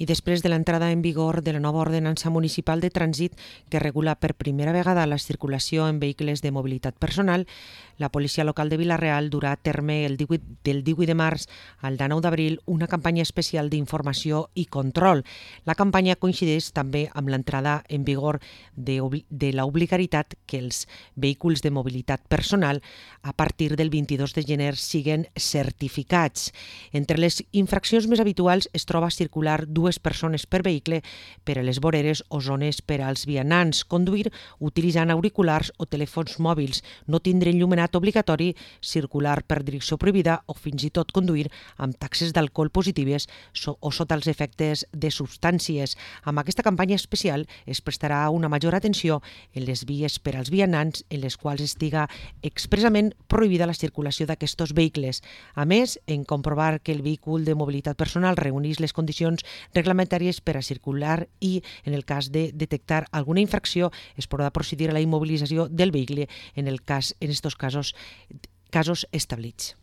I després de l'entrada en vigor de la nova ordenança municipal de trànsit que regula per primera vegada la circulació en vehicles de mobilitat personal, la policia local de Vila-real durà a terme del 18 de març al 9 d'abril una campanya especial d'informació i control. La campanya coincideix també amb l'entrada en vigor de l'obligatorietat que els vehicles de mobilitat personal a partir del 22 de gener siguen certificats. Entre les infraccions més habituals es troba circular dues persones per vehicle per a les voreres o zones per als vianants, conduir utilitzant auriculars o telèfons mòbils, no tindre enllumenat obligatori, circular per direcció prohibida o fins i tot conduir amb taxes d'alcohol positives o sota els efectes de substàncies. Amb aquesta campanya especial es prestarà una major atenció en les vies per als vianants en les quals estiga expressament prohibida la circulació d'aquests vehicles. A més, en comprovar que el vehicle de mobilitat personal reuneix les condicions reglamentàries per a circular i, en el cas de detectar alguna infracció, es podrà procedir a la immobilització del vehicle en estos casos establits.